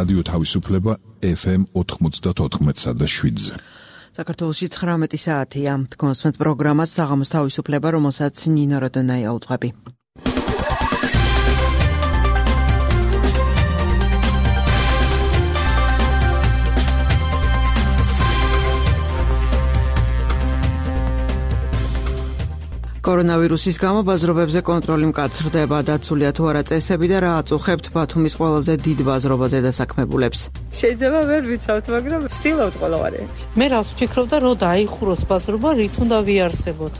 რადიო თავისუფლება FM 94.7-ზე. საქართველოში 19 საათია. თქვენს პროგრამას საღამოს თავისუფლება, რომელსაც ნინო როდონაია უძღვები. კორონავირუსის გამო ბაზრობებზე კონტროლი მკაცრდება, დაცულია თუ არა წესები და რა აწუხებთ ბათუმის ყველაზე დიდ ბაზრობაზე დასაქმებულებს. შეიძლება ვერ ვიცავთ, მაგრამ ვცდილობთ ყველა ვარიანტი. მე რას ვფიქრობდა, რომ დაიხუროს ბაზრობა, რით უნდა ვიარსებოთ.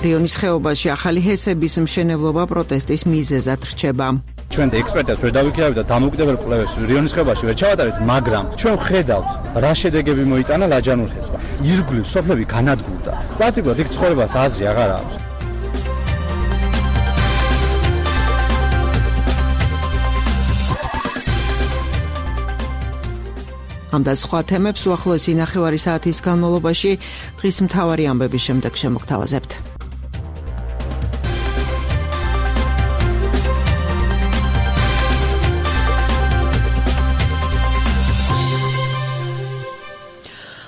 რიონის ხეობაში ახალი ჰესების მშენებლობა პროტესტის მიზეზად რჩება. ჩვენ ექსპერტებს ვერ დავიქირავთ და დამოუკიდებელ კვლევებს რიონის ხეობაში ვერ ჩავატარეთ, მაგრამ ჩვენ ვხედავთ რა შედეგები მოიტანა ლაჯანურ ჰესმა. ირგვლივ სოფლები განადგურდა. პრაქტიკულად იქ ცხოვრებას აზრი აღარ აქვს. ამ და სხვა თემებს უახლოესი ნახევარი საათის განმავლობაში დღის მთავარი ამბების შემდეგ შემოგთავაზებთ.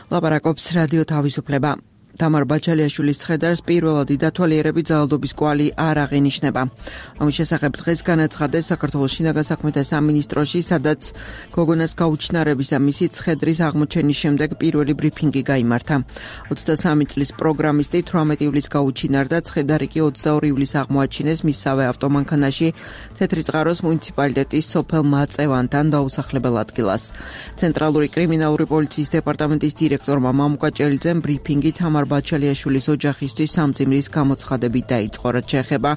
ლაპარაკობს რადიო თავისუფლება. თამარ ბაჩალიაშვილის ცხედარს პირველადი დათვალიერებით ძალადობის კვალი არ აღინიშნება. ამის შესახებ დღეს განაცხადეს საქართველოს შინაგან საქმეთა სამინისტროში, სადაც გოგონას გაუჩინარების და მისი ცხედრის აღმოჩენის შემდეგ პირველი ბრიფინგი გაიმართა. 23 წლის პროგრამისტი 18 ივლისს გაუჩინარდა, ცხედარი კი 22 ივლისს აღმოაჩინეს მისსავე ავტომანქანაში თეთრიწყაროს მუნიციპალიტეტის სოფელ მაწევანთან დაუსახლებელ ადგილას. ცენტრალური კრიმინალური პოლიციის დეპარტამენტის დირექტორმა მამუკა ჭელიძემ ბრიფინგი თამარ ბაჩალიაშვილის ოჯახისთვის სამძიმრის გამოცხადებით დაიწყო, რაც შეეხება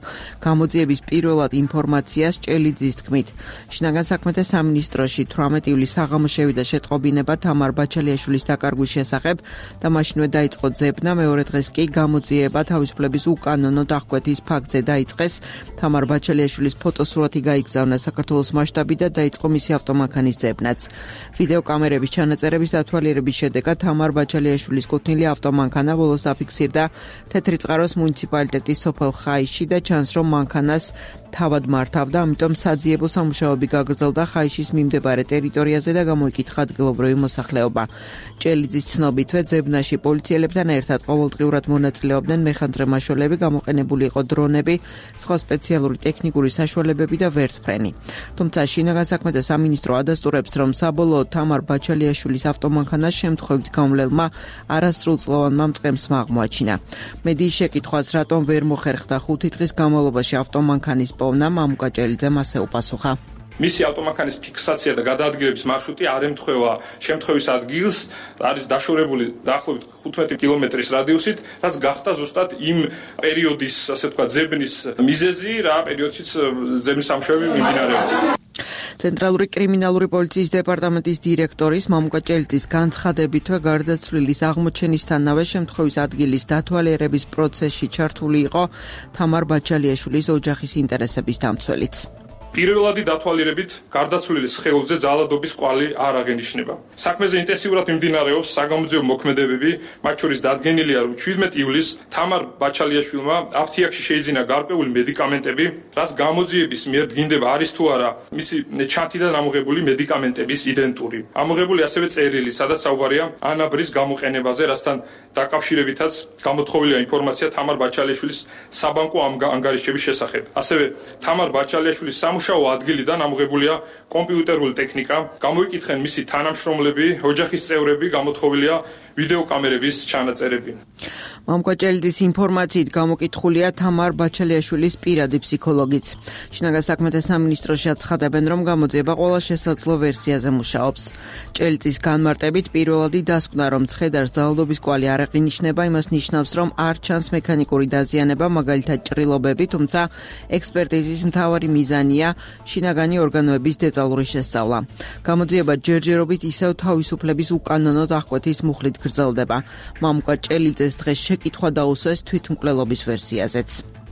გამოძიების პირველად ინფორმაციას. ჭელიძის თქმით, შინაგან საქმეთა სამინისტროში 18 ივლისს საღამოს შევიდა შეტყობინება თამარ ბაჩალიაშვილის დაკარგვის შესახებ და მაშინვე დაიწყო ძებნა. მეორე დღეს კი გამოძიება თავისუფლების უკანონო დახკვეთის ფაქტზე დაიწყეს. თამარ ბაჩალიაშვილის ფოტოსურათი გაიგზავნა საქართველოს მასშტაბით და დაიწყო მისი ავტომანქანის ძებნაც. ვიდეო კამერების ჩანაწერების დათვალიერების შედეგად თამარ ბაჩალიაშვილის კუთვნილი ავტომანქანა ბოლოს დაფიქსირდა თეთრიწყაროს მუნიციპალიტეტის სოფელ ხაიში და ჩანს, რომ მანქანას თავად მართავდა, ამიტომ საძიებო სამუშაოები გაგრძელდა ხაიშის მიმდებარე ტერიტორიაზე და გამოიკითხა ადგილობრივი მოსახლეობა. ჭელიძის ცნობითვე ძებნაში პოლიციელებთან ერთად ყოველდღიურად მონაწილეობდნენ მეხანძრე მაშველები, გამოყენებული იყო დრონები, სხვა სპეციალური ტექნიკური საშუალებები და ვერტფრენი. თუმცა შინაგან საქმეთა სამინისტრო ადასტურებს, რომ საბოლოოდ თამარ ბაჩალიაშვილის ავტომანქანას შემთხვევით გამლელმა არასრულწლოვანმა მწყემსმა აღმოაჩინა. მედიის შეკითხვას, რატომ ვერ მოხერხდა 5 დღის განმავლობაში ავტომანქანის პოვნა, მამუკა ჭელიძემ ასე უპასუხა. მისი ავტომანქანის ფიქსაცია და გადაადგილების მარშრუტი არ ემთხვევა შემთხვევის ადგილს, არის დაშორებული დაახლოებით 15 კილომეტრის რადიუსით, რაც გახდა ზუსტად იმ პერიოდის, ასე ვთქვათ, ძებნის მიზეზი, რა პერიოდშიც ძებნის სამუშაოები მიმდინარეობდა. ცენტრალური კრიმინალური პოლიციის დეპარტამენტის დირექტორის მამუკა ჭელიძის განცხადებითვე გარდაცვლილის აღმოჩენისთანავე შემთხვევის ადგილის დათვალიერების პროცესში ჩართული იყო თამარ ბაჩალიაშვილის ოჯახის ინტერესების დამცველიც. პირველადი დათვალიერებით გარდაცვლილის სხეულზე ძალადობის კვალი არ აღენიშნება. საქმეზე ინტენსიურად მიმდინარეობს საგამოძიებო მოქმედებები, მათ შორის დადგენილია, რომ 17 ივლისს თამარ ბაჩალიაშვილმა აფთიაქში შეიძინა გარკვეული მედიკამენტები, რაც გამოძიების მიერ დგინდება არის თუ არა მისი ჩანთიდან ამოღებული მედიკამენტების იდენტური. ამოღებული ასევე წერილი, სადაც საუბარია ანაბრის გამოყენებაზე, რასთან დაკავშირებითაც გამოთხოვილია ინფორმაცია თამარ ბაჩალიაშვილის საბანკო ანგარიშების შესახებ. ასევე თამარ ბაჩალიაშვილის სამუშაო ადგილიდან ამოღებულია კომპიუტერული ტექნიკა, გამოიკითხენ მისი თანამშრომლები, ოჯახის წევრები, გამოთხოვილია ვიდეო კამერების ჩანაწერები. მამუკა ჭელიძის ინფორმაციით გამოკითხულია თამარ ბაჩალიაშვილის პირადი ფსიქოლოგიც. შინაგან საქმეთა სამინისტროში აცხადებენ, რომ გამოძიება ყველა შესაძლო ვერსიაზე მუშაობს. ჭელიძის განმარტებით პირველადი დასკვნა, რომ ცხედარს ძალადობის კვალი არ აღინიშნება, იმას ნიშნავს, რომ არ ჩანს მექანიკური დაზიანება, მაგალითად ჭრილობები, თუმცა ექსპერტიზის მთავარი მიზანია შინაგანი ორგანოების დეტალური შესწავლა. გამოძიება ჯერჯერობით ისევ თავისუფლების უკანონო დახკვეთის მუხლით გრძელდება. მამუკა ჭელიძეს დღეს შეკითხვა დაუსვეს თვითმკვლელობის ვერსიაზეც.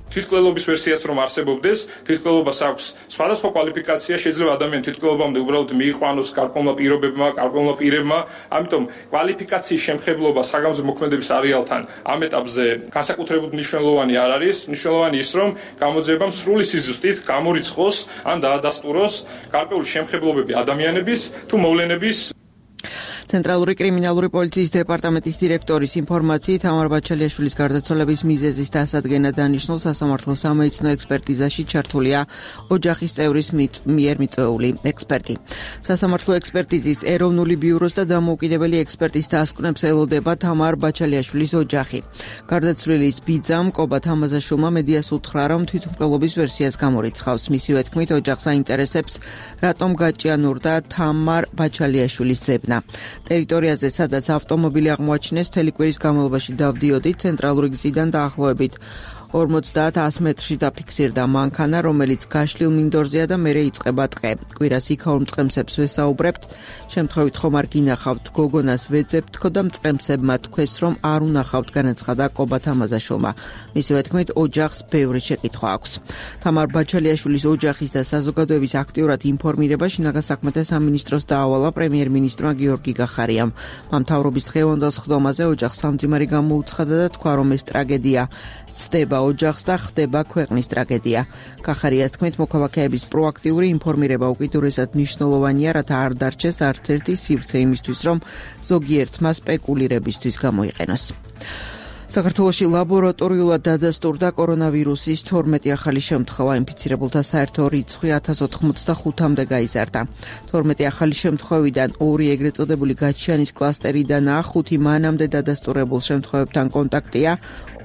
თვითმკვლელობის ვერსიას რომ არსებობდეს, თვითმკვლელობას აქვს სხვადასხვა კვალიფიკაცია, შეიძლება ადამიანი თვითმკვლელობამდე უბრალოდ მიიყვანოს გარკვეულმა პირობებმა, გარკვეულმა პირებმა, ამიტომ კვალიფიკაციის შემხებლობა საგამოძიებო მოქმედების არეალთან ამ ეტაპზე განსაკუთრებულად მნიშვნელოვანი არ არის, მნიშვნელოვანი ის რომ გამოძიებამ სრული სიზუსტით გამორიცხოს ან დაადასტუროს გარკვეული შემხებლობები ადამიანების თუ მოვლენების. ცენტრალური კრიმინალური პოლიციის დეპარტამენტის დირექტორის ინფორმაციით თამარ ბაჩალიაშვილის გარდაცვალების მიზეზის დასადგენად დანიშნულ სასამართლო სამედიცინო ექსპერტიზაში ჩართულია ოჯახის წევრის მიერ მიწვეული ექსპერტი. სასამართლო ექსპერტიზის ეროვნული ბიუროს და დამოუკიდებელი ექსპერტის დასკვნებს ელოდება თამარ ბაჩალიაშვილის ოჯახი. გარდაცვლილის ბიძამ კობა თამაზაშვილმა მედიას უთხრა, რომ თვითმკვლელობის ვერსიას გამორიცხავს. მისივე თქმით, ოჯახს აინტერესებს, რატომ გაჭიანურდა თამარ ბაჩალიაშვილის ძებნა. ტერიტორიაზე, სადაც ავტომობილი აღმოაჩინეს, მთელი კვირის განმავლობაში დავდიოდით, ცენტრალური გზიდან დაახლოებით 50-100 მეტრში დაფიქსირდა მანქანა, რომელიც გაშლილ მინდორზეა და მერე იწყება ტყე. კვირას იქაურ მწყემსებს ვესაუბრებთ, შემთხვევით ხომ არ გინახავთ, გოგონას ვეძებთ და მწყემსებმა თქვეს, რომ არ უნახავთ, განაცხადა კობა თამაზაშვილმა. მისივე თქმით, ოჯახს ბევრი შეკითხვა აქვს. თამარ ბაჩალიაშვილის ოჯახის და საზოგადოების აქტიურად ინფორმირება შინაგან საქმეთა სამინისტროს დაავალა პრემიერ-მინისტრმა გიორგი გახარიამ. მამთავრობის დღევანდელ სხდომაზე ოჯახს სამძიმარი გამოუცხადა და თქვა, რომ ეს ტრაგედია ცდება ოჯახს და ხდება ქვეყნის ტრაგედია. გახარიას თქმით, მოქალაქეების პროაქტიული ინფორმირება უკიდურესად მნიშვნელოვანია, რათა არ დარჩეს არც ერთი სივრცე იმისთვის, რომ ზოგიერთმა სპეკულირებისთვის გამოიყენოს. საქართველოში ლაბორატორიულად დადასტურდა კორონავირუსის 12 ახალი შემთხვევა, ინფიცირებულთა საერთო რიცხვი 1085-მდე გაიზარდა. 12 ახალი შემთხვევიდან 2 ეგრეთ წოდებული გაჩიანის კლასტერიდანაა, 5 მანამდე დადასტურებულ შემთხვევებთან კონტაქტია,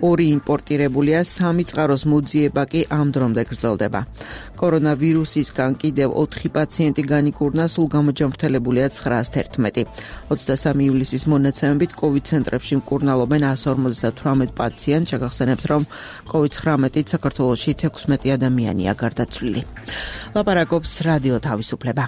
2 იმპორტირებულია, 3 წყაროს მოძიება კი ამ დრომდე გრძელდება. კორონავირუსისგან კიდევ 4 პაციენტი განიკურნა, სულ გამოჯამრთელებულია 911. 23 ივლისის მონაცემებით COVID ცენტრებში მკურნალობენ 158 პაციენტს. შეგახსენებთ, რომ COVID-19-ით საქართველოში 16 ადამიანია გარდაცვლილი. ლაპარაკობს რადიო თავისუფლება.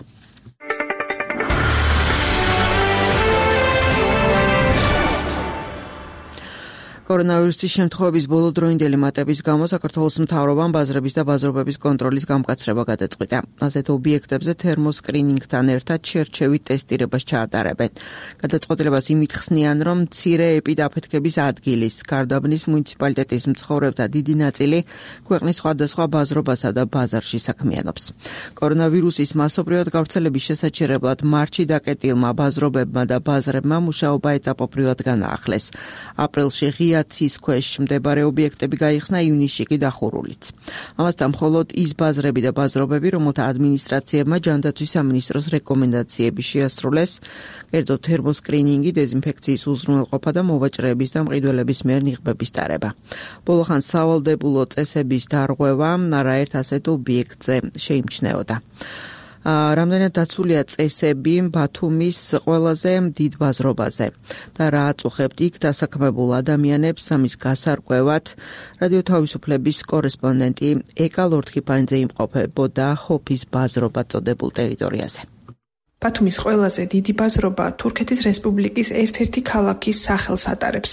კორონავირუსის შემთხვევების ბოლოდროინდელი მატების გამო საქართველოს მთავრობამ ბაზრების და ბაზრობების კონტროლის გამკაცრება გადაწყვიტა. ასეთ ობიექტებზე თერმოსკრინინგთან ერთად შერჩევით ტესტირებას ჩაატარებენ. გადაწყვეტილებას იმით ხსნიან, რომ მცირე ეპიდაფეთქების ადგილის გარდაბნის მუნიციპალიტეტის მცხოვრებთა დიდი ნაწილი ქვეყნის სხვადასხვა ბაზრობასა და ბაზარში საქმიანობს. კორონავირუსის მასობრივად გავრცელების შესაჩერებლად მარტში დაკეტილმა ბაზრობებმა და ბაზრებმა მუშაობა ეტაპობრივად განაახლეს. აპრილში ცის ქვეშ მდებარე ობიექტები გაიხსნა, ივნისში კი დახურულიც. ამასთან მხოლოდ ის ბაზრები და ბაზრობები, რომელთა ადმინისტრაციებმა ჯანდაცვის სამინისტროს რეკომენდაციები შეასრულეს, კერძო თერმოსკრინინგი, დეზინფექციის უზრუნველყოფა და მოვაჭრეების და მყიდველების მიერ ნიღბების ტარება. ბოლოხან სავალდებულო წესების დარღვევა არაერთ ასეთ ობიექტზე შეიმჩნეოდა. რამდენად დაცულია წესები ბათუმის ყველაზე დიდ ბაზრობაზე და რა აწუხებთ იქ დასაქმებულ ადამიანებს ამის გასარკვევად რადიო თავისუფლების კორესპონდენტი ეკა ლორთქიფანიძე იმყოფებოდა ჰოფის ბაზრობა წოდებულ ტერიტორიაზე. ბათუმის ყველაზე დიდი ბაზრობა თურქეთის რესპუბლიკის ერთ-ერთი ქალაქის სახელს ატარებს.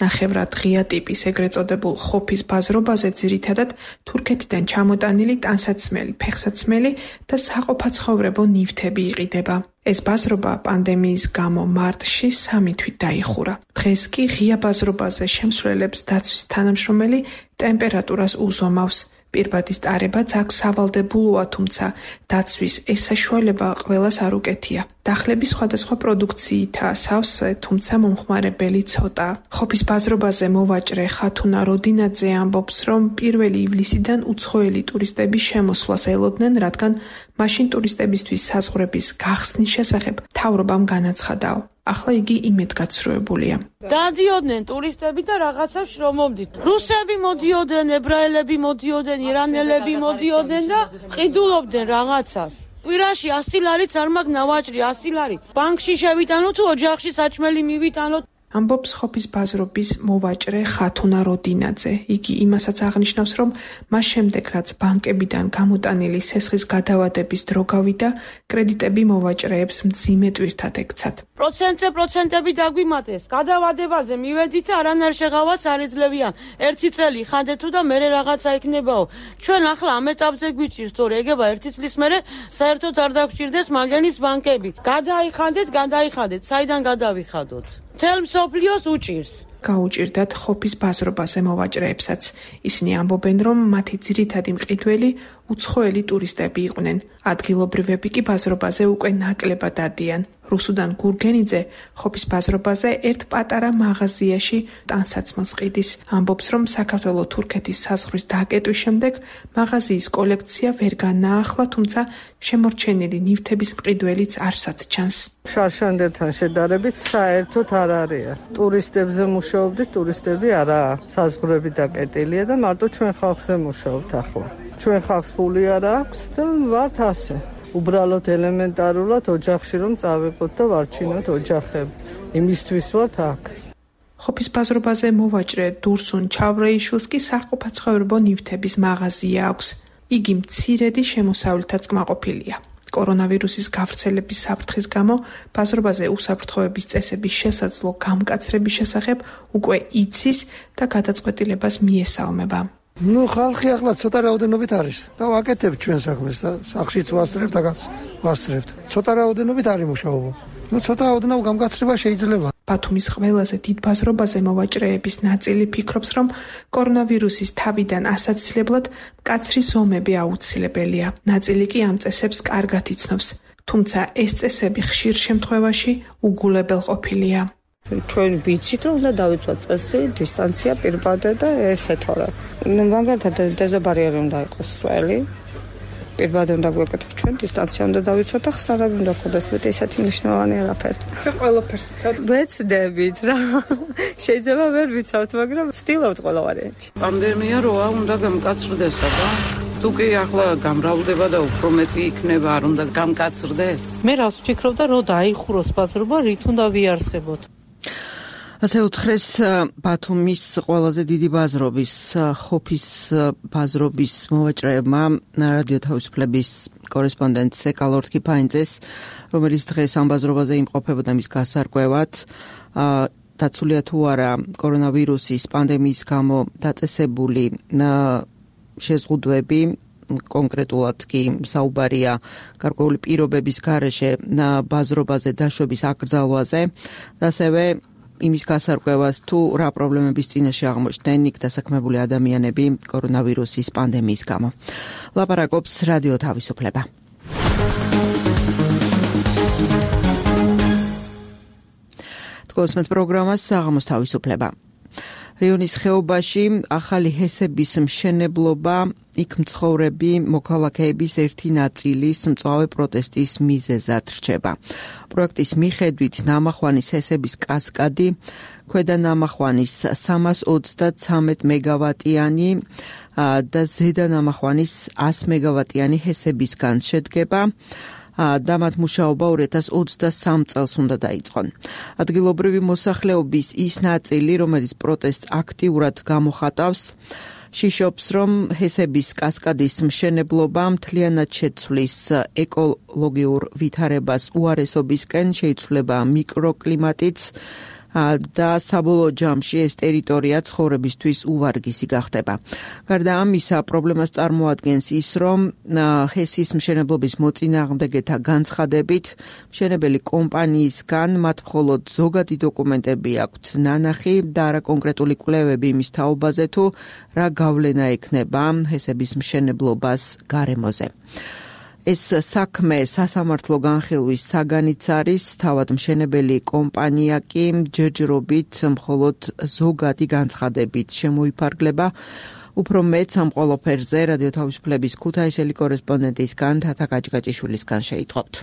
ნახევრად ღია ტიპის ეგრეთ წოდებულ ხოფის ბაზრობაზე ძირითადად თურქეთიდან ჩამოტანილი ტანსაცმელი, ფეხსაცმელი და საყოფაცხოვრებო ნივთები იყიდება. ეს ბაზრობა პანდემიის გამო მარტში 3 თვით დაიხურა. დღეს კი ღია ბაზრობაზე შემსვლელებს დაცვის თანამშრომელი ტემპერატურას უზომავს. პირბადის ტარებაც აქ სავალდებულოა, თუმცა დაცვის ეს საშუალება ყველას არ უკეთია. დახლების სხვადასხვა პროდუქციითაა სავსე, თუმცა მომხმარებელი ცოტა. ხოფის ბაზრობაზე მოვაჭრე ხათუნა როდინაძე ამბობს, რომ 1 ივლისიდან უცხოელი ტურისტების შემოსვლას ელოდნენ, რადგან მაშინ ტურისტებისთვის საზღვრების გახსნის შესახებ მთავრობამ განაცხადაო. ახლა იგი იმედგაცრუებულია. დადიოდნენ ტურისტები და რაღაცას შრომობდით. რუსები მოდიოდნენ, ებრაელები მოდიოდნენ, ირანელები მოდიოდნენ და ყიდულობდნენ რაღაცას. კვირაში 100 ლარიც არ მაგ ნავაჭრი 100 ლარი. ბანკში შევიტანოთ თუ ოჯახში საჭმელი მივიტანოთ. ამბობს ხოფის ბაზრობის მოვაჭრე ხათუნა როდინაძე. იგი იმასაც აღნიშნავს, რომ მას შემდეგ, რაც ბანკებიდან გამოტანილი სესხის გადავადების დრო გავიდა, კრედიტები მოვაჭრეებს მძიმე ტვირთად ექცათ. პროცენტები დაგვიმატეს. გადავადებაზე მივედით, არანაირ შეღავაც არ ეძლებიან. ერთი წელი ხანდეთ თუ და მერე რაღაცა იქნებაო. ჩვენ ახლა ამ ეტაპზე გვიჭირს, თორე ეგება ერთი წლის მერე საერთოდ არ დაგვჭირდეს მაგენის ბანკები. გადაიხადეთ, საიდან გადავიხადოთ? მთელ მსოფლიოს უჭირს. გაუჭირდათ ხოფის ბაზრობაზე მოვაჭრეებსაც. ისინი ამბობენ, რომ მათი ძირითადი მყიდველი უცხოელი ტურისტები იყვნენ. ადგილობრივები კი ბაზრობაზე უკვე ნაკლებად დადიან. რუსუდან გურგენიძე ხოფის ბაზრობაზე ერთ პატარა მაღაზიაში ტანსაცმელს ყიდის. ამბობს, რომ საქართველო-თურქეთის საზღვრის დაკეტვის შემდეგ მაღაზიის კოლექცია ვერ განაახლა, თუმცა შემორჩენილი ნივთების მყიდველიც არსად ჩანს. შარშანდერთან შედარებით საერთოდ არ არის. ტურისტებზე მუშაობდით, ტურისტები არაა. საზღვრები დაკეტილია და მარტო ჩვენ ხალხზე მუშაობთ ახლა. ჩვენ ხალხს ფული არ აქვს და ვართ ასე. უბრალოდ ელემენტარულად ოჯახში რომ წავიყოთ და ვარჩინოთ ოჯახები. იმისთვის ვართ აქ. ხოფის ბაზრობაზე მოვაჭრე დურსუნ ჩავრეიშვილს კი საყოფაცხოვრებო ნივთების მაღაზია აქვს. იგი მცირედი შემოსავლითაც კმაყოფილია. კორონავირუსის გავრცელების საფრთხის გამო ბაზრობაზე უსაფრთხოების წესების შესაძლო გამკაცრების შესახებ უკვე იცის და გადაწყვეტილებას მიესალმება. ხალხი ახლა ცოტა რაოდენობით არის და ვაკეთებთ ჩვენ საქმეს და სახშიც ვასწრებთ, აქაც ვასწრებთ. ცოტა რაოდენობით არის მუშაობა. ცოტა რაოდენობით გამკაცრება შეიძლება. ბათუმის ყველაზე დიდ ბაზრობაზე მოვაჭრეების ნაწილი ფიქრობს, რომ კორონავირუსის თავიდან ასაცილებლად მკაცრი ზომები აუცილებელია. ნაწილი კი ამ წესებს კარგად იცნობს, თუმცა ეს წესები ხშირ შემთხვევაში უგულებელ ყოფილია. ჩვენ ვიცით, რომ უნდა დავიცვათ წესი, დისტანცია, პირბადე და ესე თორე. მაგალითად დეზობარიერი უნდა იყოს სველი. პირბადე უნდა გვეკეთოს ჩვენ, დისტანცია უნდა დავიცვათ და ხსნარები უნდა გქონდეს, მეტი ესეთი მნიშვნელოვანი არაფერი. ყველაფერს ცოტა ვეცდებით რა. შეიძლება ვერ ვიცავთ, მაგრამ ვცდილობთ ყველა ვარიანტში. პანდემია როა უნდა გამკაცრდეს, აბა. თუ კი ახლა გამრავლდება და უფრო მეტი იქნება, არ უნდა გამკაცრდეს. მე რას ვფიქრობდა, რომ დაიხუროს ბაზრობა, რით უნდა ვიარსებოთ. ასე უთხრეს ბათუმის ყველაზე დიდი ბაზრობის ხოფის ბაზრობის მოვაჭრეებმა რადიო თავისუფლების კორესპონდენტს ეკალორთ კიფაინძეს, რომელიც დღეს ამ ბაზრობაზე იმყოფებოდა მის გასარკვევად. დაცულია თუ არა კორონავირუსის პანდემიის გამო დაწესებული შეზღუდვები, კონკრეტულად კი საუბარია გარკვეული პირობების გარეშე ბაზრობაზე დაშვების აკრძალვაზე და ასევე იმის გასარკვევად თუ რა პრობლემების წინაშე აღმოჩნდნენ იქ დასაქმებული ადამიანები კორონავირუსის პანდემიის გამო. ლაპარაკობს რადიო თავისუფლება. თქოსმეთ პროგრამას საღამოს თავისუფლება. რიონის ხეობაში ახალი ჰესების მშენებლობა, იქ მცხოვრები მოქალაქეების ერთი ნაწილის მწვავე პროტესტის მიზეზად რჩება. პროექტის მიხედვით ნამახვანის ჰესების კასკადი, ქვედა ნამახვანის 333 მეგავატიანი და ზედა ნამახვანის 100 მეგავატიანი ჰესებისგან შედგება. და მათ მუშაობა 2023 წელს უნდა დაიწყონ. ადგილობრივი მოსახლეობის ის ნაწილი, რომელიც პროტესტს აქტიურად გამოხატავს, შიშობს, რომ ჰესების კასკადის მშენებლობა მთლიანად შეცვლის ეკოლოგიურ ვითარებას უარესობისკენ, შეიცვლება მიკროკლიმატიც და საბოლოო ჯამში ეს ტერიტორია ცხოვრებისთვის უვარგისი გახდება. გარდა ამისა, პრობლემას წარმოადგენს ის, რომ ჰესის მშენებლობის მოწინააღმდეგეთა განცხადებით, მშენებელი კომპანიისგან მათ მხოლოდ ზოგადი დოკუმენტები აქვთ ნანახი და არა კონკრეტული კვლევები იმის თაობაზე თუ რა გავლენა ექნება ჰესების მშენებლობას გარემოზე. ეს საქმე სასამართლო განხილვის საგანიც არის, თავად მშენებელი კომპანია კი ჯერჯერობით მხოლოდ ზოგადი განცხადებით შემოიფარგლება. უფრო მეც ამ ყველაფერზე რადიო თავისუფლების ქუთაისელი კორესპონდენტისგან თათა გაჭგაჭიშვილისგან შეიტყობთ.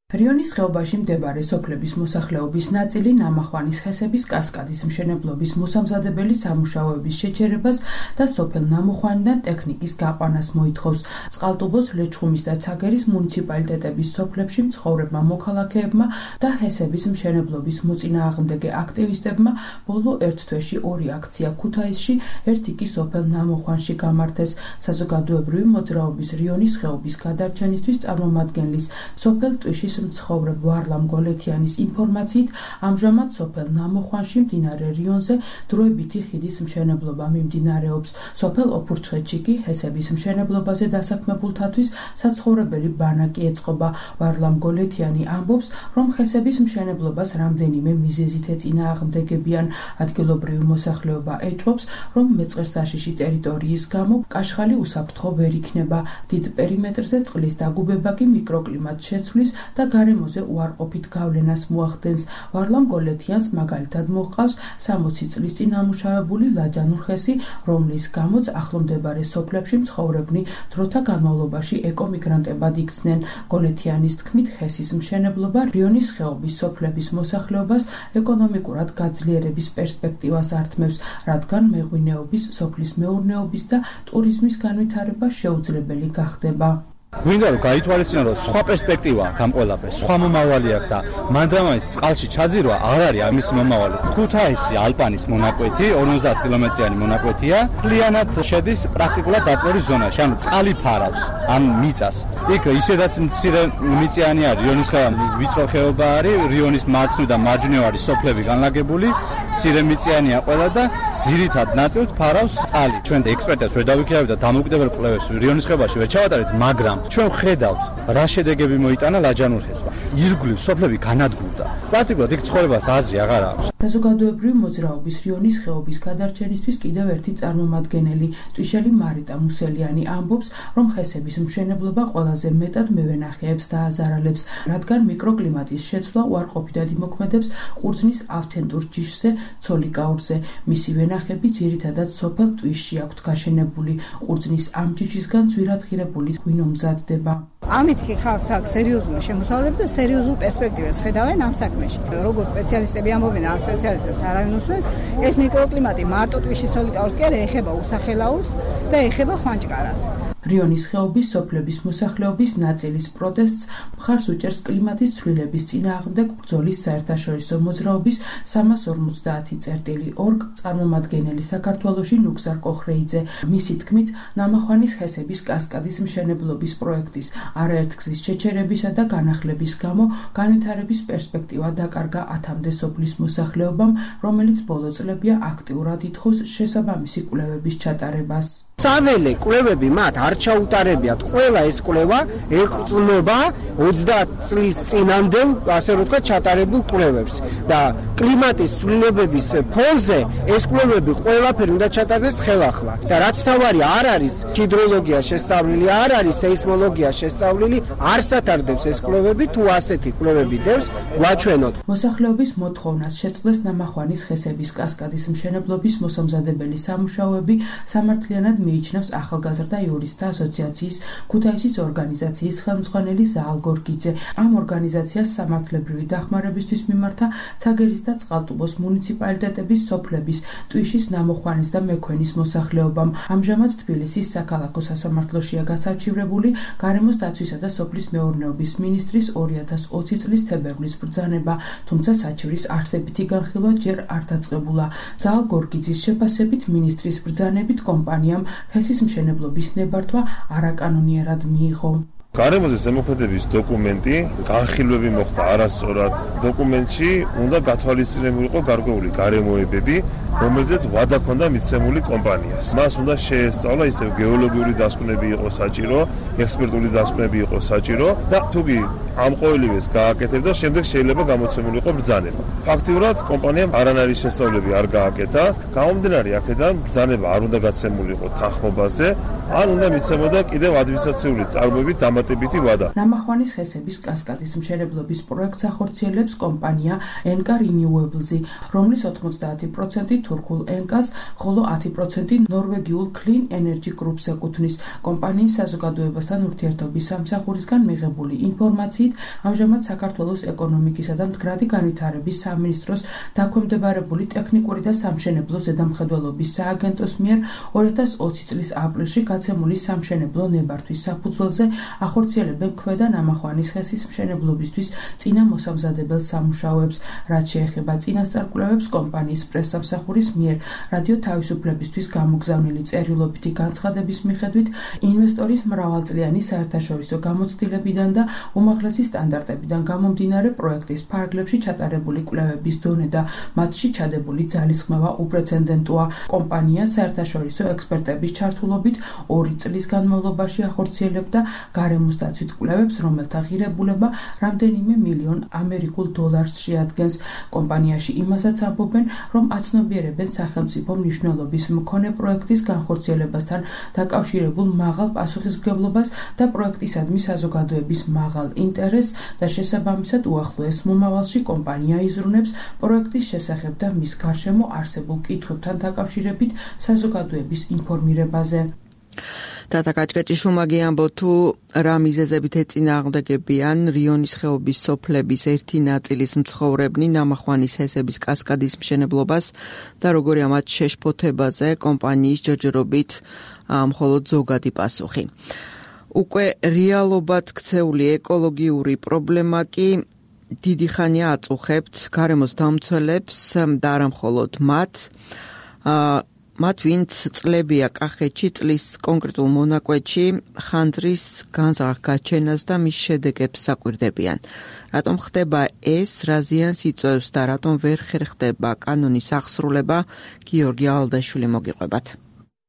რიონის ხეობაში მდებარე სოფლების მოსახლეობის ნაწილი ნამახვანის ხესების კასკადის მშენებლობის მოსამზადებელი სამუშაოების შეჩერებას და სოფელ ნამუხვანიდან ტექნიკის გაყვანას მოითხოვს. წყალტუბოს, ლეჩხუმის და ცაგერის მუნიციპალიტეტების სოფლებში მცხოვრებმა მოქალაქეებმა და ჰესების მშენებლობის მოწინააღმდეგე აქტივისტებმა ბოლო ერთ თვეში 2 აქცია ქუთაისში, ერთი კი სოფელ ნამუხვანში გამართეს. საზოგადოებრივი მოძრაობის რიონის ხეობის გადარჩენისთვის წარმომადგენლის სოფელ ტვიშის მცხოვრებ ვარლამ გოლეთიანის ინფორმაციით ამჟამად სოფელ ნამუხვანში მდინარე რიონზე დროებითი ხიდის მშენებლობა მიმდინარეობს. სოფელ ოფურჩხეთში კი ჰესების მშენებლობაზე დასაქმებულთათვის საცხოვრებელი ბანაკი ეწყობა. ვარლამ გოლეთიანი ამბობს, რომ ჰესების მშენებლობას რამდენიმე მიზეზით ეწინააღმდეგებიან. ადგილობრივი მოსახლეობა ეჭვობს, რომ მეწყერსაშიში ტერიტორიის გამო კაშხალი უსაფრთხო ვერ იქნება. დიდ პერიმეტრზე წყლის დაგუბება კი მიკროკლიმატს შეცვლის და გარემოზე უარყოფით გავლენას მოახდენს. ვარლამ გოლეთიანს მაგალითად მოჰყავს 60 წლის წინ ამუშავებული ლაჯანურ ხესი, რომლის გამოც ახლომდებარე სოფლებში მცხოვრებნი დროთა განმავლობაში ეკომიგრანტებად იქცნენ. გოლეთიანის თქმით, ხესის მშენებლობა რიონის ხეობის სოფლების მოსახლეობას ეკონომიკურად გაძლიერების პერსპექტივას ართმევს, რადგან მეღვინეობის, სოფლის მეურნეობის და ტურიზმის განვითარება შეუძლებელი გახდება. გვინდა რომ გაითვალისწინო, რომ სხვა პერსპექტივაა ამ ყველაფერს, სხვა მომავალი აქვს და მანდრამაის წყალში ჩაძირვა არ არის ამის მომავალი. ქუთაისი ალპანის მონაკვეთი 50 კილომეტრიანი მონაკვეთია, მთლიანად შედის პრაქტიკულად დატვერის ზონაში, ანუ წყალი ფარავს ამ მიწას. იქ ისედაც მცირე მიწიანი არის, რიონის ხეობა ვიწრო ხეობა არის, რიონის მარცხნივ და მარჯვნივ არის სოფლები განლაგებული, მცირე მიწიანია ყველა და ძირითად ნაწილს ფარავს წყალი. ჩვენ ექსპერტებს ვერ დავიქირავთ და დამოუკიდებელ კვლევებს რიონის ხეობაში ვერ ჩავატარეთ, მაგრამ ჩვენ ხედავთ რა შედეგები მოიტანა ლაჯანურ ხესმა. ირგვლივ სოფლები განადგურდა. პრაქტიკულად იქ ცხოვრებას აზრი აღარ აქვს. საზოგადოებრივი მოძრაობის რიონის ხეობის გადარჩენისთვის კიდევ ერთი წარმომადგენელი, ტვიშელი მარიტა მუსელიანი ამბობს, რომ ხესების მშენებლობა ყველაზე მეტად მევენახეებს დააზარალებს, რადგან მიკროკლიმატის შეცვლა უარყოფითად იმოქმედებს ყურძნის ავთენტურ ჯიშზე, ცოლიკაურზე. მისი ვენახები ძირითადად სოფელ ტვიშში აქვთ გაშენებული. ყურძნის ამ ჯიშისგან ძვირადღირებული ღვინო მზადდება. ამით კი ხალხს აქვს სერიოზული შემოსავლები და სერიოზულ პერსპექტივებს ხედავენ ამ საქმეში. როგორც სპეციალისტები ამბობენ, ამ სპეციალისტებს არავინ უსმენს, ეს მიკროკლიმატი მარტო ტვიშის ცოლიკაურს კი არა, ეხება უსახელაურს და ეხება ხვანჭკარას. რიონის ხეობის სოფლების მოსახლეობის ნაწილის პროტესტს მხარს უჭერს კლიმატის ცვლილების წინააღმდეგ ბრძოლის საერთაშორისო მოძრაობის 350.2 წარმომადგენელი საქართველოში ნუგზარ კოხრეიძე. მისი თქმით, ნამახვანის ხესების კასკადის მშენებლობის პროექტის არაერთგზის შეჩერებისა და განახლების გამო განვითარების პერსპექტივა დაკარგა 1000-მდე სოფლის მოსახლეობამ, რომელიც ბოლო წლებია აქტიურად ითხოვს შესაბამისი კვლევების ჩატარებას. საველე კვლევები მათ არ ჩაუტარებიათ. ყველა ეს კვლევა ეყრდნობა 30 წლის წინამდე, ასე რომ ვთქვათ, ჩატარებულ კვლევებს და კლიმატის ცვლილებების ფონზე ეს კვლევები ყველაფერი უნდა ჩატარდეს ხელახლა. და რაც თავარი არ არის ჰიდროლოგია შესწავლილი, არ არის სეისმოლოგია შესწავლილი, არ სათარდებს ეს კვლევები, თუ ასეთი კვლევები დევს, გვაჩვენოთ. მოსახლეობის მოთხოვნას შეწყდეს ნამახვანის ხესების კასკადის მშენებლობის მოსამზადებელი სამუშაოები სამართლიანად მიიჩნევს ახალგაზრდა იურისტთა ასოციაციის ქუთაისის ორგანიზაციის ხელმძღვანელი ზაალ გორგიძე. ამ ორგანიზაციას სამართლებრივი დახმარებისთვის მიმართა ცაგერის და წყალტუბოს მუნიციპალიტეტების სოფლების ტვიშის, ნამუხვანის და მექვენის მოსახლეობამ. ამჟამად თბილისის საქალაქო სასამართლოშია გასარჩივრებული გარემოს დაცვისა და სოფლის მეურნეობის მინისტრის 2020 წლის თებერვლის ბრძანება, თუმცა საჩივრის არსებითი განხილვა ჯერ არ დაწყებულა. ზაალ გორგიძის შეფასებით მინისტრის ბრძანებით კომპანიამ ჰესის მშენებლობის ნებართვა არაკანონიერად მიიღო. გარემოზე ზემოქმედების დოკუმენტი განხილვები მოხდა არასწორად. დოკუმენტში უნდა გათვალისწინებულიყო გარკვეული გარემოებები, რომელზეც ვადა ჰქონდა მიცემული კომპანიას. მას უნდა შეესწავლა ისევ გეოლოგიური დასკვნები იყო საჭირო, ექსპერტული დასკვნები იყო საჭირო და თუკი ამ ყოველივეს გააკეთებდა, შემდეგ შეიძლება გამოცემულიყო ბრძანება. ფაქტიურად კომპანიამ არანაირი შესწავლები არ გააკეთა. გამომდინარე აქედან ბრძანება არ უნდა გაცემულიყო თანხმობაზე, ან უნდა მიცემოდა კიდევ ადმინისტრაციული წარმოებით დამატებითი ვადა. ნამახვანის ხესების კასკადის მშენებლობის პროექტს ახორციელებს კომპანია NK Renewables, რომლის 90% თურქულ ენკას, ხოლო 10% ნორვეგიულ Clean Energy Group-ს ეკუთვნის. კომპანიის საზოგადოებასთან ურთიერთობის სამსახურისგან მიღებული ინფორმაციით, ამჟამად საქართველოს ეკონომიკისა და მდგრადი განვითარების სამინისტროს დაქვემდებარებული ტექნიკური და სამშენებლო ზედამხედველობის სააგენტოს მიერ 2020 წლის აპრილში გაცემული სამშენებლო ნებართვის საფუძველზე ახორციელებენ ქვედა ნამახვანის ხესის მშენებლობისთვის წინა მოსამზადებელ სამუშაოებს, რაც შეეხება წინასწარ კომპანიის პრესსამსახურის მიერ რადიო თავისუფლებისთვის გამოგზავნილი წერილობითი განცხადების მიხედვით ინვესტორის მრავალწლიანი საერთაშორისო გამოცდილებიდან და უმაღლესი სტანდარტებიდან გამომდინარე პროექტის ფარგლებში ჩატარებული კვლევების დონე და მათში ჩადებული ძალისხმევა უპრეცედენტოა. კომპანია საერთაშორისო ექსპერტების ჩართულობით 2 წლის განმავლობაში ახორციელებდა გარემოსდაცვით კვლევებს, რომელთა ღირებულება რამდენიმე მილიონ ამერიკულ დოლარს შეადგენს. კომპანიაში იმასაც ამბობენ, რომ აცნობიერებენ სახელმწიფო მნიშვნელობის მქონე პროექტის განხორციელებასთან დაკავშირებულ მაღალ პასუხისმგებლობას და პროექტისადმი საზოგადოების მაღალ ინტერესს და შესაბამისად უახლოეს მომავალში კომპანია იზრუნებს პროექტის შესახებ და მის გარშემო არსებულ კითხვებთან დაკავშირებით საზოგადოების ინფორმირებაზე. Tata Kaczkaczyszumagi ambo tu რა მიზეზებით ეწინააღმდეგებიან რიონის ხეობის სოფლების ერთი ნაწილის მცხოვრებნი ნამახვანის ჰესების კასკადის მშენებლობას და როგორია მათ შეშფოთებაზე კომპანიის ჯერჯერობით მხოლოდ ზოგადი პასუხი. უკვე რეალობად ქცეული ეკოლოგიური პრობლემა კი დიდი ხანია აწუხებთ გარემოს დამცველებს და არა მხოლოდ მათ ვინც წლებია კახეთში წლის კონკრეტულ მონაკვეთში ხანძრის განზრახ-გაჩენას და მის შედეგებს საკვირდებიან. რატომ ხდება ეს, რა ზიანს იწვევს და რატომ ვერ ხერხდება კანონის აღსრულება, გიორგი ალდაშვილი მოგიყვებათ.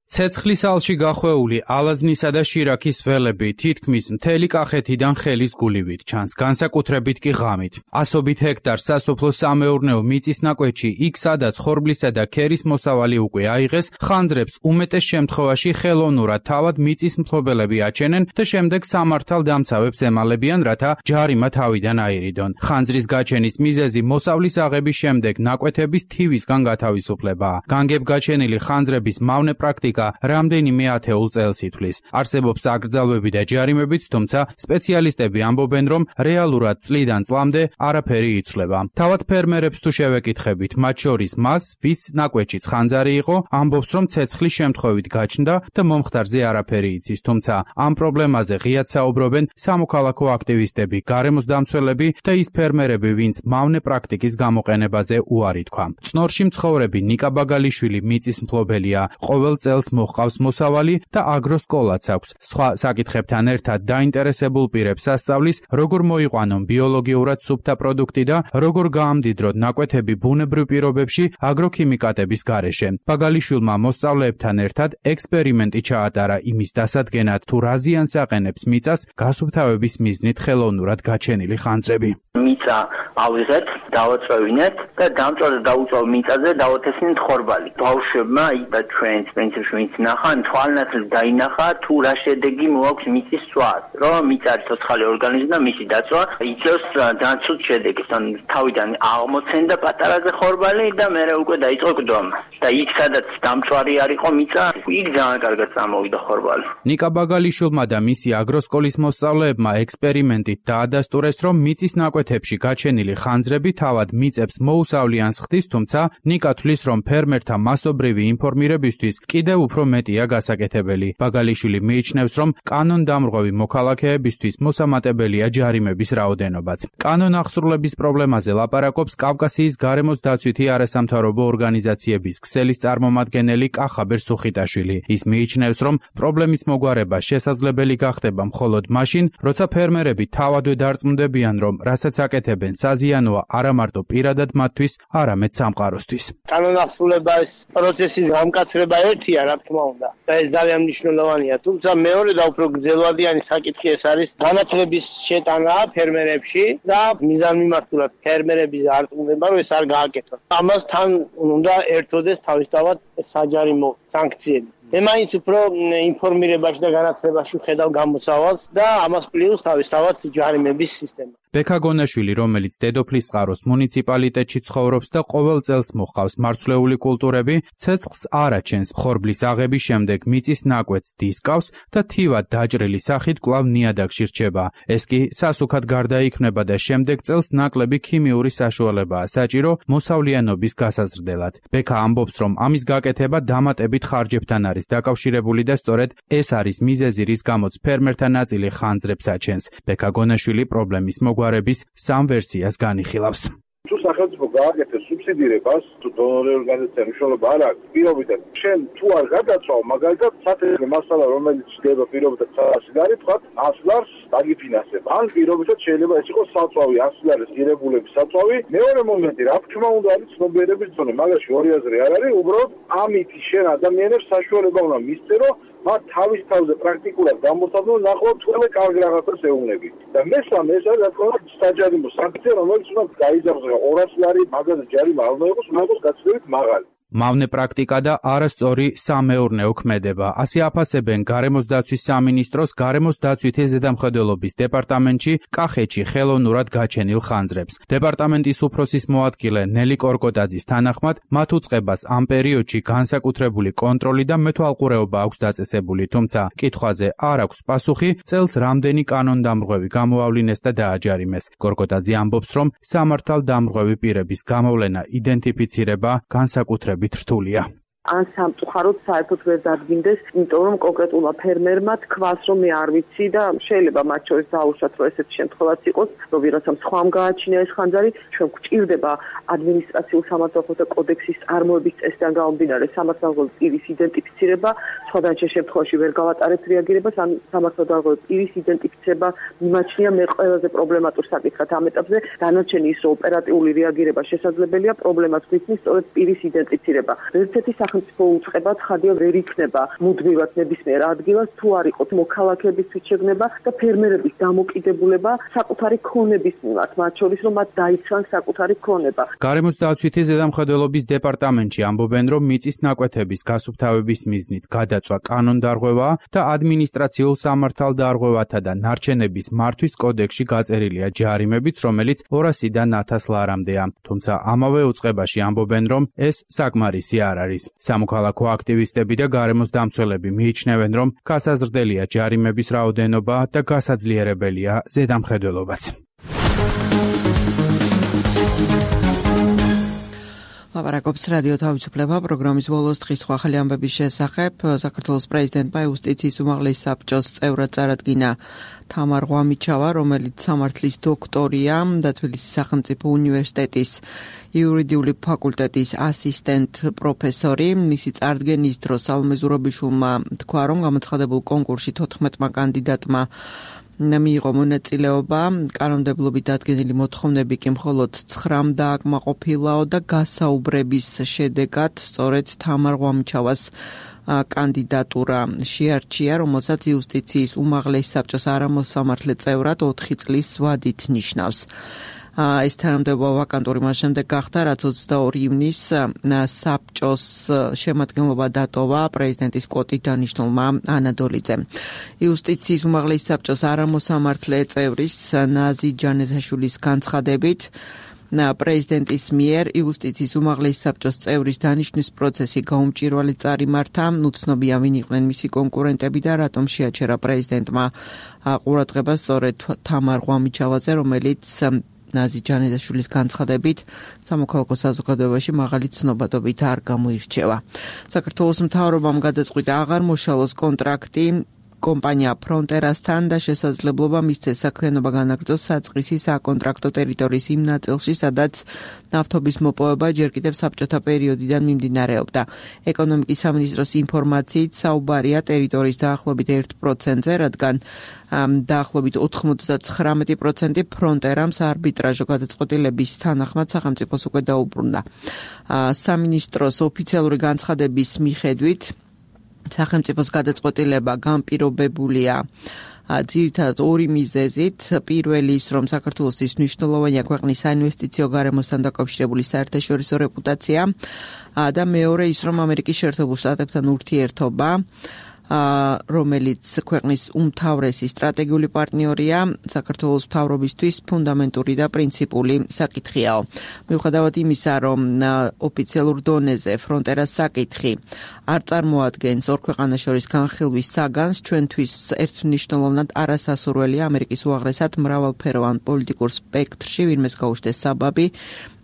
ცეცხლის ალში გახვეული ალაზნისა და შირაქის ველები თითქმის მთელი კახეთიდან ხელის გულივით ჩანს, განსაკუთრებით კი ღამით. ასობით ჰექტარ სასოფლო-სამეურნეო მიწის ნაკვეთში, იქ სადაც ხორბლისა და ქერის მოსავალი უკვე აიღეს, ხანძრებს უმეტეს შემთხვევაში ხელოვნურად თავად მიწის მფლობელები აჩენენ და შემდეგ სამართალდამცავებს ემალებიან, რათა ჯარიმა თავიდან აირიდონ. ხანძრის გაჩენის მიზეზი მოსავლის აღების შემდეგ ნაკვეთების თივისგან გათავისუფლებაა. განგებ გაჩენილი ხანძრების მავნე პრაქტიკა რამდენიმე ათეულ წელს ითვლის. არსებობს აკრძალვები და ჯარიმებიც, თუმცა სპეციალისტები ამბობენ, რომ რეალურად წლიდან წლამდე არაფერი იცვლება. თავად ფერმერებს თუ შევეკითხებით, მათ შორის მას, ვის ნაკვეთშიც ხანძარი იყო, ამბობს, რომ ცეცხლის შემთხვევით გაჩნდა და მომხდარზე არაფერი იცის, თუმცა ამ პრობლემაზე ღიად საუბრობენ სამოქალაქო აქტივისტები, გარემოს დამცველები და ის ფერმერები, ვინც მავნე პრაქტიკის გამოყენებაზე უარი თქვა. წნორში მცხოვრები ნიკა ბაგალიშვილი მიწის მფლობელია, ყოველ წელს მოჰყავს მოსავალი და აგროსკოლაც აქვს. სხვა საკითხებთან ერთად დაინტერესებულ პირებს ასწავლის, როგორ მოიყვანონ ბიოლოგიურად სუფთა პროდუქტი და როგორ გაამდიდროთ ნაკვეთები ბუნებრივ პირობებში აგროქიმიკატების გარეშე. ბაგალიშვილმა მოსწავლეებთან ერთად ექსპერიმენტი ჩაატარა იმის დასადგენად, თუ რა ზიანს აყენებს მიწას გასუფთავების მიზნით ხელოვნურად გაჩენილი ხანძრები. მიწა ავიღეთ, დავაწვევინეთ და დამწვავ დაუწვავ მიწაზე დავათესნით ხორბალი. ბავშვებმა და ჩვენს პრინციპში ვინც ნახან თვალნათლად დაინახა თუ რა შედეგი მოაქვს მიწის წვას, რომ მიწა არის ცოცხალი ორგანიზმი და მისი დაწვა იწევს ძალიან ცუდ შედეგებს. ან თავიდან აღმოცენდა პატარაზე ხორბალი და მერე უკვე დაიწყო გდომა. და იქ სადაც დამწვარი არ იყო მიწა, იქ ძალიან კარგად წამოვიდა ხორბალი. ნიკა ბაგალიშვილმა და მისი აგროსკოლის მოსწავლეებმა ექსპერიმენტით დაადასტურეს, რომ მიწის ნაკვეთებში გაჩენილი ხანძრები თავად მიწებს მოუსავლიან ხდის, თუმცა ნიკა თვლის, რომ ფერმერთა მასობრივი ინფორმირებისთვის კიდევ უფრო მეტია გასაკეთებელი. ბაგალიშვილი მიიჩნევს, რომ კანონდამრღვევი მოქალაქეებისთვის მოსამატებელია ჯარიმების რაოდენობაც. კანონ აღსრულების პრობლემაზე ლაპარაკობს კავკასიის გარემოს დაცვითი არასამთავრობო ორგანიზაციების ქსელის წარმომადგენელი კახაბერ სუხიტაშვილი. ის მიიჩნევს, რომ პრობლემის მოგვარება შესაძლებელი გახდება მხოლოდ მაშინ, როცა ფერმერები თავადვე დარწმუნდებიან, რომ რასაც აკეთებენ საზიანოა არა მარტო პირადად მათთვის, არამედ სამყაროსთვის. კანონახსრულების პროცესის გამკაცრება ერთია, რა თქმა უნდა, და ეს ძალიან მნიშვნელოვანია. თუმცა მეორე და უფრო გრძელვადიანი საკითხი ეს არის განათლების შეტანა ფერმერებში და მიზანმიმართულად ფერმერების არტყმება, რომ ეს არ გააკეთონ. ამასთან უნდა ერთოდეს თავისთავად საჯარიმო სანქციები. მე მაინც უფრო ინფორმირებაში და განათლებაში ხედავ გამოსავალს და ამას პლუს თავისთავად ჯარიმების სისტემა. ბექა გონაშვილი, რომელიც დედოფლის წყაროს მუნიციპალიტეტში ცხოვრობს და ყოველ წელს მოჰყავს მარცვლეული კულტურები, ცეცხლს არ აჩენს. ხორბლის აღების შემდეგ მიწის ნაკვეთს დისკავს და თივად დაჭრილი სახით კვლავ ნიადაგში რჩება. ეს კი სასუქად გარდაიქმნება და შემდეგ წელს ნაკლები ქიმიური საშუალებაა საჭირო მოსავლიანობის გასაზრდელად. ბექა ამბობს, რომ ამის გაკეთება დამატებით ხარჯებთან არის დაკავშირებული და სწორედ ეს არის მიზეზი, რის გამოც ფერმერთა ნაწილი ხანძრებს აჩენს. ბექა გონაშვილი პრობლემის მოგვარების სამ ვერსიას განიხილავს. თუ სახელმწიფო გააკეთებს სუბსიდირებას, თუ დონორი ორგანიზაცია მნიშვნელობა არ აქვს, პირობითად შენ თუ არ გადაწვავ, მაგალითად სათეთრო მასალა, რომელიც ხდება პირობითად სასილარი, თქვა 100 ლარს დაგიფინანსებ. ან პირობითად შეიძლება ეს იყოს საწვავი, 100 ლარის ღირებულების საწვავი. მეორე მომენტი, რა თქმა უნდა, არის ცნობიერების ზონა. მაგაში ორი აზრი არ არის, უბრალოდ ამით შენ ადამიანებს საშუალება უნდა მისწერო, მათ თავის თავზე პრაქტიკულად გამოსაძლო ნახოთ ყველა კარგ რაღაცას ეუბნები. და მესამე ეს არის რა თქმა უნდა საჯარიმო სანქცია, რომელიც უნდა გაიზარდოს 200 ლარი მაგაზე ჯარიმა არ უნდა იყოს, უნდა იყოს გაცილებით მაღალი. მავნე პრაქტიკა და არასწორი სამეურნეო ქმედება. ასე აფასებენ გარემოს დაცვის სამინისტროს გარემოს დაცვითი ზედამხედველობის დეპარტამენტში კახეთში ხელოვნურად გაჩენილ ხანძრებს. დეპარტამენტის უფროსის მოადგილე ნელი კორკოტაძის თანახმად, მათ უწყებას ამ პერიოდში განსაკუთრებული კონტროლი და მეთვალყურეობა აქვს დაწესებული, თუმცა კითხვაზე არ აქვს პასუხი, წელს რამდენი კანონდამრღვევი გამოავლინეს და დააჯარიმეს. კორკოტაძე ამბობს, რომ სამართალდამრღვევი პირების გამოვლენა, იდენტიფიცირება განსაკუთრებით რთულია. ან სამწუხაროდ საერთოდ ვერ დადგინდეს, იმიტომ რომ კონკრეტულმა ფერმერმა თქვას, რომ მე არ ვიცი და შეიძლება მათ შორის დაუშვათ, რომ ესეთი შემთხვევაც იყოს, რომ ვიღაცამ სხვამ გააჩინა ეს ხანძარი, ჩვენ გვჭირდება ადმინისტრაციულ სამართალდამხვევთა კოდექსის წარმოების წესიდან გამომდინარე სამართალდამხვევი პირის იდენტიფიცირება, სხვადასხვა შემთხვევაში ვერ გავატარებთ რეაგირებას, ან სამართალდამხვევი პირის იდენტიფიცირება მიმაჩნია მე ყველაზე პრობლემატურ საკითხად ამ ეტაპზე, დანარჩენი ის რომ ოპერატიული რეაგირება შესაძლებელია, პრობლემას გვიქმნის სწორედ პირის იდენტიფიცირება. ერთ-ერთი უწყება ცხადია ვერ იქნება მუდმივად ნებისმიერ ადგილას თუ არ იყოს მოქალაქეებისთვის შეგნება და ფერმერების დამოკიდებულება საკუთარი ქონების მიმართ, მათ შორის რომ მათ დაიცვან საკუთარი ქონება. გარემოს დაცვითი ზედამხედველობის დეპარტამენტში ამბობენ, რომ მიწის ნაკვეთების გასუფთავების მიზნით გადაწვა კანონდარღვევა და ადმინისტრაციულ სამართალდარღვევათა და ნარჩენების მართვის კოდექსში გაწერილია ჯარიმებიც, რომელიც 200-დან 1000 ლარამდეა. თუმცა ამავე უწყებაში ამბობენ, რომ ეს საკმარისი არ არის. სამოქალაქო აქტივისტები და გარემოს დამცველები მიიჩნევენ, რომ გასაზრდელია ჯარიმების რაოდენობა და გასაძლიერებელია ზედამხედველობაც. ლაპარაკობს რადიო თავისუფლება პროგრამის ბოლოს დღის ახალი ამბების შესახებ. საქართველოს პრეზიდენტმა იუსტიციის უმაღლესი საბჭოს წევრად წარადგინა თამარ ღვამიჩავა, რომელიც სამართლის დოქტორია და თბილისის სახელმწიფო უნივერსიტეტის იურიდიული ფაკულტეტის ასისტენტ პროფესორი. მისი წარდგენის დროს სალომე ზურაბიშვილმა თქვა, რომ გამოცხადებულ კონკურსში 14 კანდიდატმა მიიღო მონაწილეობა, კანონმდებლობით დადგენილი მოთხოვნები კი მხოლოდ 9 დააკმაყოფილაო და გასაუბრების შედეგად სწორედ თამარ ღვამიჩავას კანდიდატურა შეარჩია, რომელსაც იუსტიციის უმაღლესი საბჭოს არამოსამართლე წევრად 4 წლის ვადით ნიშნავს. ეს თანამდებობა ვაკანტური მას შემდეგ გახდა, რაც 22 ივნის საბჭოს შემადგენლობა დატოვა პრეზიდენტის კვოტით დანიშნულმა ანადოლიძემ. იუსტიციის უმაღლესი საბჭოს არამოსამართლე წევრის ნაზი ჯანესაშვილის განცხადებით, პრეზიდენტის მიერ იუსტიციის უმაღლესი საბჭოს წევრის დანიშნვის პროცესი გაუმჭირვალედ წარიმართა, უცნობია ვინ იყვნენ მისი კონკურენტები და რატომ შეაჩერა პრეზიდენტმა ყურადღება სწორედ თამარ ღვამიჩავაზე, რომელიც ნაზი ჯანესაშვილის განცხადებით სამოქალაქო საზოგადოებაში მაღალი ცნობადობით არ გამოირჩევა. საქართველოს მთავრობამ გადაწყვიტა აღარ მოშალოს კონტრაქტი კომპანია ფრონტერასთან და შესაძლებლობა მისცეს საქმიანობა განაგრძოს საწყისი საკონტრაქტო ტერიტორიის იმ ნაწილში, სადაც ნავთობის მოპოვება ჯერ კიდევ საბჭოთა პერიოდიდან მიმდინარეობდა. ეკონომიკის სამინისტროს ინფორმაციით საუბარია ტერიტორიის დაახლოებით 1%-ზე, რადგან დაახლოებით 99% ფრონტერამ საარბიტრაჟო გადაწყვეტილების თანახმად სახელმწიფოს უკვე დაუბრუნდა. სამინისტროს ოფიციალური განცხადების მიხედვით სახელმწიფოს გადაწყვეტილება განპირობებულია ძირითადად ორი მიზეზით. პირველი ის, რომ საქართველოსთვის მნიშვნელოვანია ქვეყნის საინვესტიციო გარემოსთან დაკავშირებული საერთაშორისო რეპუტაცია და მეორე ის, რომ ამერიკის შეერთებულ შტატებთან ურთიერთობა რომელიც ქვეყნის უმთავრესი სტრატეგიული პარტნიორია საქართველოს მთავრობისთვის ფუნდამენტური და პრინციპული საკითხიაო. მიუხედავად იმისა, რომ ოფიციალურ დონეზე ფრონტერას საკითხი არ წარმოადგენს ორ ქვეყანას შორის განხილვის საგანს, ჩვენთვის ერთმნიშვნელოვნად არასასურველია ამერიკის უაღრესად მრავალფეროვან პოლიტიკურ სპექტრში ვინმეს გაუჩნდეს საბაბი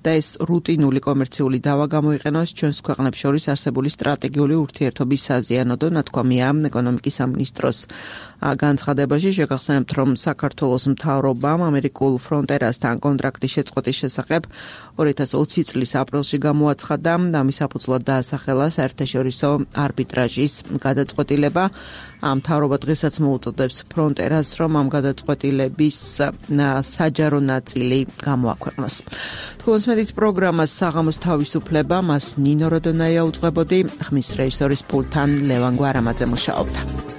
და ეს რუტინული კომერციული დავა გამოიყენოს ჩვენს ქვეყნებს შორის არსებული სტრატეგიული ურთიერთობის საზიანოდო, ნათქვამია ეკონომიკის სამინისტროს განცხადებაში. შეგახსენებთ, რომ საქართველოს მთავრობამ ამერიკულ ფრონტერასთან კონტრაქტის შეწყვეტის შესახებ 2020 წლის აპრილში გამოაცხადა და ამის საფუძვლად დაასახელა საერთაშორისო არბიტრაჟის გადაწყვეტილება. მთავრობა დღესაც მოუწოდებს ფრონტერას, რომ ამ გადაწყვეტილების საჯარო ნაწილი გამოაქვეყნოს. თქვენს მედით პროგრამას საღამოს თავისუფლება, მას ნინო როდონაია უძღვებოდი, ხმის რეჟისორის პულტთან ლევან გვარამაძე მუშაობდა.